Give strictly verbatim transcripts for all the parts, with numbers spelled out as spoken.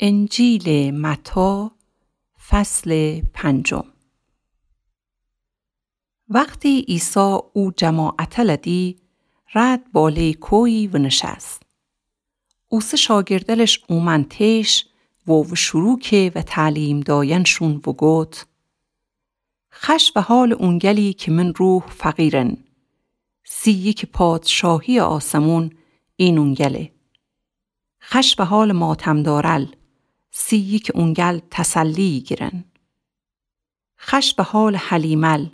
انجیلٚ متی، فصلٚ پنجم. وختی عیسی او جماعتٚ ره دی، رد باله‌یٚ کویی و نشست. اوسه شاگردلش اومأن ته‌ش و وشورو که و تعلیم دایأنشون و گفت: خوش به حالٚ اونگلی که من روح فقیرن، سی یکه پادشاهیٚ آسمون اینون گله. خوش به حالٚ ماتم دارل، سی یکه اونگل تسلی گیرن. خوش به حالٚ حلیمل،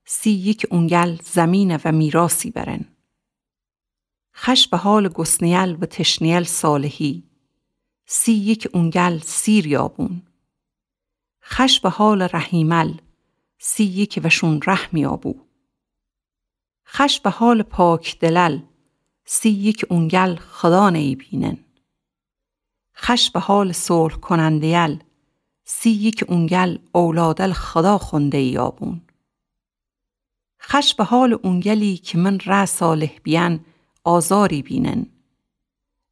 سی یکه اونگل زمینه و میراثی برن. خوش به حالٚ گسنیل و تشنیل صالحی، سی یکه اونگل سیر یابون. خوش به حالٚ رحیمل، سی یکه وشون رحم یابو. خوش به حالٚ پاک دلل، سی یکه اونگل خودا نیبینن. خوش به حالٚ صلح کننده‌یل، سی یکه اونگل اولادل خودا خونده یابون. خوش به حالٚ اونگلی که من ره صالح بیأن آزاری بینن،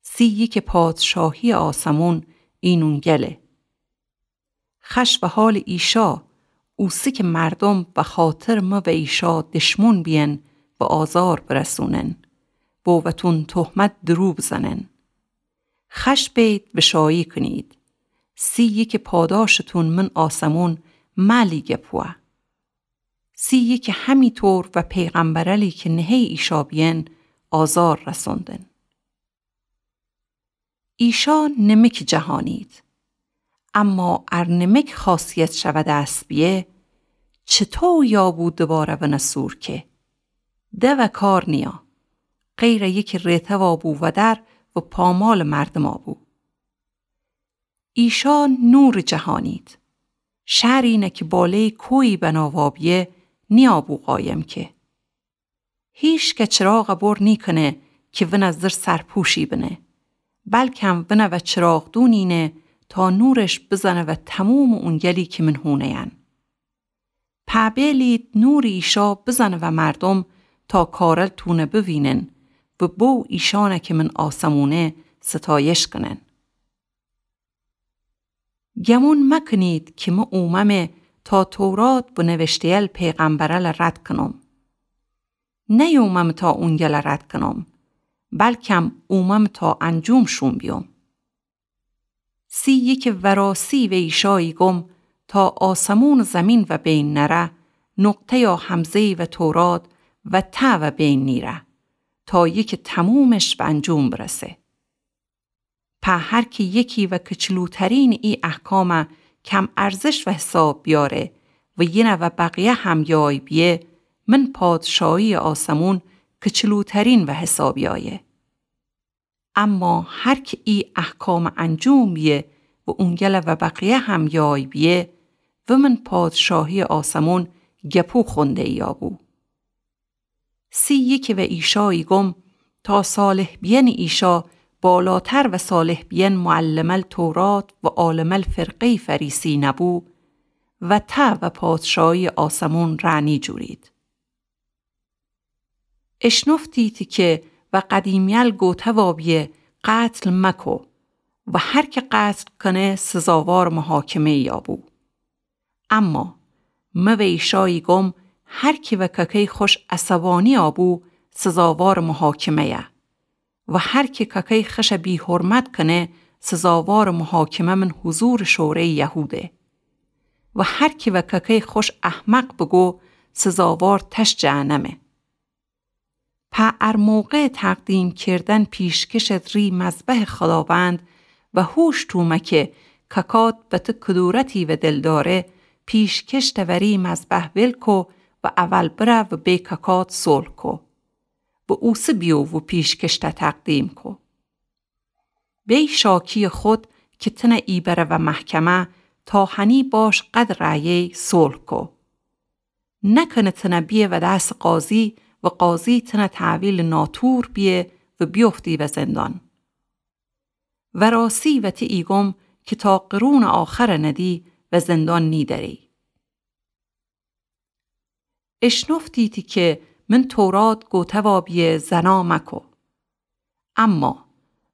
سی یکه پادشاهیٚ آسمون اینون گله. خوش به حالٚ ایشا، اوسه که مردم بخاطرٚ مه و ایشا دشمون بیأن و آزار برسونن و وتون تهمت درو بزنن. خوش بید و شایی کنید، سی یکه پاداشتون من آسمون ملی گپوه. سی یکه همی طور و پیغمبرلی که نهه ایشا بیأن آزار رسوندن. ایشا نمکٚ جهانید. اما ار نمک خاصیت شوه دست بیه، چطو یابو دوباره ونه سورکه؟ دوه کار نیه، غیر یکه رهتوا بو ودر و پامالٚ مردما بو. ایشا نورٚ جهانید. شهری نه که باله‌یٚ کویی بناوا بیه، نیابو قایم که. هیچکه چراغه بر نیکنه که ونه زیر سرپوشی بنه، بلکم ونه و چراغدونی نه تا نورش بزنه و تمومٚ اونگلی که من هونه‌ین. پا بیلید نورٚ ایشا بزنه و مردم تا کارل تونه بوینن و بو ایشانه که من آسمونه ستایش کنن. گمون مکنید که مه اوممه تا تورات و نوشته‌یل پیغمبرل رد کنم. نیوممه تا اونگل رد کنم، بلکم اوممه تا انجومشون بیوم. سی یکه وراسی و ایشایی گم تا آسمون و زمین و بین نره، نقطه یا همزه‌یی و تورات و ته و بین نیره، تا یکه تمومش و انجوم برسه. په هر کی یکی و کچلوترینٚ ای احکامه کم ارزش و حساب بیاره و یینه و بقیه هم یای بیه، من پادشاهیٚ آسمون کچلوترین و حساب یایه. اما هر کی ای احکامه انجوم بیه و اونگله و بقیه هم یای بیه، و من پادشاهیٚ آسمون گپو خونده یابو. سی یکه و ایشایی گم تا صالح بیأنٚ ایشا بالاتر و صالح بیأن معلمل تورات و عالمل فرقه‌یٚ فریسی نبو، و ته و پادشاهیٚ آسمون ره نیجورید. اشنفتیدی که و قدیمیل گوته وابیه قتل مکو، و هر کی قتل کنه سزاوارٚ محاکمه یابو. اما مه و ایشایی گم، هر کی و ککه‌ی خوش عصبانی آبو سزاوارٚ محاکمه‌یه، و هر کی ککه‌ی خوشه بی‌حرمت کنه سزاوارٚ محاکمه من حضورٚ شوره‌یٚ یهوده، و هر کی و ککه‌ی خوش احمق بگو سزاوار تش جهنمه. په ار موقعٚ تقدیم کردن پیشکشت ری مذبحٚ خداوند و هوش تومه که ککات به ته کدورتی و دلداره، پیشکشته و ری مذبح ول کو و اول بره و به ککات صلح کو. و اوسه بیو و پیشکشته تقدیم کو. بی شاکیٚ خود که تنه ایبره و محکمه تا هنی باش قد رأیی صلح کو. نکنه تنه بیه و دس قاضی و قاضی تنه تحویلٚ ناطور بیه و بیفتی و زندان. وراسی و تی ایگم که تا قرونٚ آخره ندی و زندان نیدری. اشنفتیدی که من تورات گوته وابیه زنا مکو. اما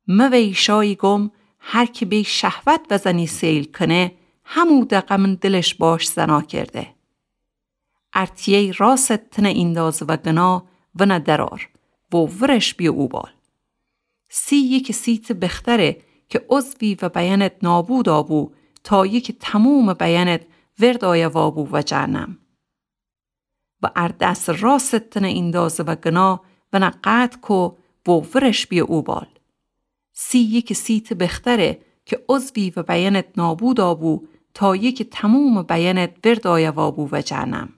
مه و ایشایی گم، هر کی بی شهوت وزنی سیل کنه، همو دقه من دلش باش زنا کرده. ار تیی راست تنه ایندازه و گنا، ونه درار و ورش بیه اوبال. سی یکی سی ته بختره کی عضوی و بیأنت نابودا بو، تا یکی تموم بیأنت ورد آیه وابو و جهنم. و ار دس راست تنه ایندازه و گنا، ونه قطع کو و ورش بیه اوبال. سی یکی سی ته بختره کی عضوی و بیأنت نابودا بو، تا یکی تموم بیأنت ورد آیه وابو و جهنم.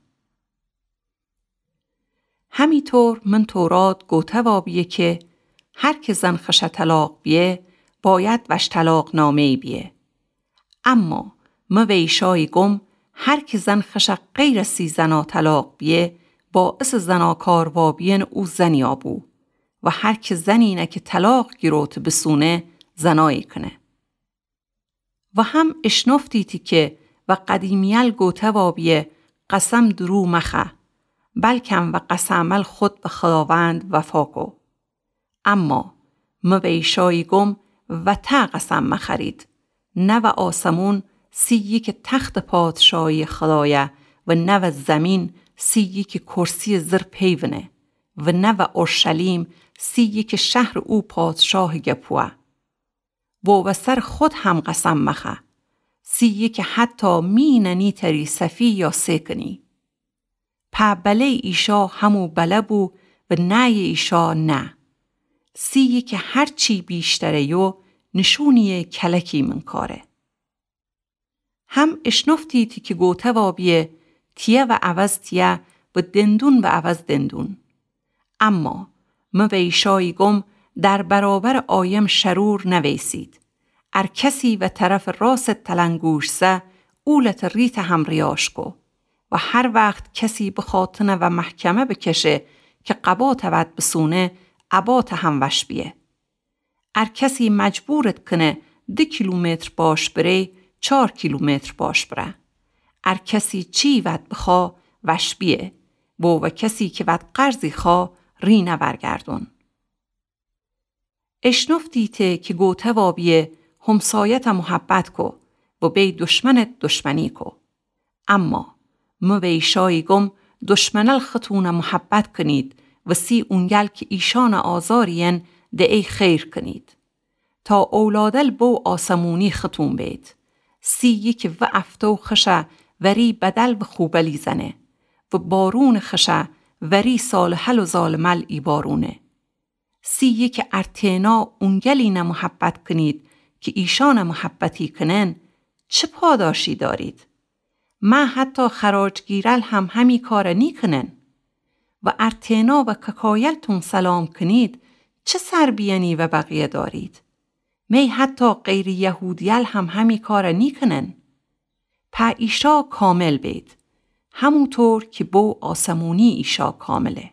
همی طور من تورات گوته وابیه کی هر کی زن خشه طلاق بیه، باید وش طلاق نامه‌یی بیه. اما مه ویشایی گم، هر کی زن خشه غیر سی زنا طلاق بیه، باعث زناکار وابیین او زنیا بو. و هر کی زنینه کی طلاق گیروته بسونه، زنایی کنه. و هم اشنفتیتی کی و قدیمیل گوته وابیه، قسم درو مخه، بلکم و قسمل خود و خداوند وفا کو. اما مه ویشایی گم، وته قسم مخرید، نه و آسمون سی یکی تخت پادشایی خدایه و نه و زمین سی یکی کرسی زر پیونه و نه و اورشلیم سی یکی شهر او پادشاه گپوه. و و سر خود هم قسم مخه، سی یکی حتی می ننی تری صفی یا سه کنی. په بله‌ی ایشا همو بله بو و نه‌ی ایشا نه. سی یکی هر چی بیشتره یو نشونیه کلکی من کاره. هم اشنفتیتی کی گوته وابیه، تیه و عوض تیه و دندون و عوض دندون. اما مه ویشایی گم، در برابر آیم شرور نویسید. ار کسی و طرف راست تلنگوش زه، اولت ریت هم ریاش کو. و هر وخت کسی بخوا تنه و محکمه بکشه کی قباته وت بسونه، اباته هم وش بیه. ار کسی مجبورت کنه ده کیلومتر باش بری، چار کیلومتر باش بره. ار کسی چی وت بخوا وش بیه، و و کسی کی وت قرضی خوا ری نورگردون. اشنفتیته کی گوته وابیه همسایته محبت کو و بی دشمنت دشمنی کو. اما مه ویشایی گم دشمنل ختونه محبت کنید و سی اونگل کی ایشانه آزاریین ده ای خیر کنید. تا اولادل بو آسمونی ختون بید. سی یکی و افتو خشه وری بدل و خوبلی زنه و بارون خشه وری صالحل و ظالمل ایبارونه. سی یکی ار تینا اونگلینه محبت کنید کی ایشانه محبتی کنن، چه پاداشی دارید؟ مه حتی خراجگیرل هم همی کاره نیکنن. و ار تینا و ککایل تون سلام کنید، چه سربیه‌نی و بقیه دارید؟ می حتی غیر یهودیل هم همی کاره نیکنن. په ایشا کامل بید، همو طور کی بو آسمونی ایشا کامله.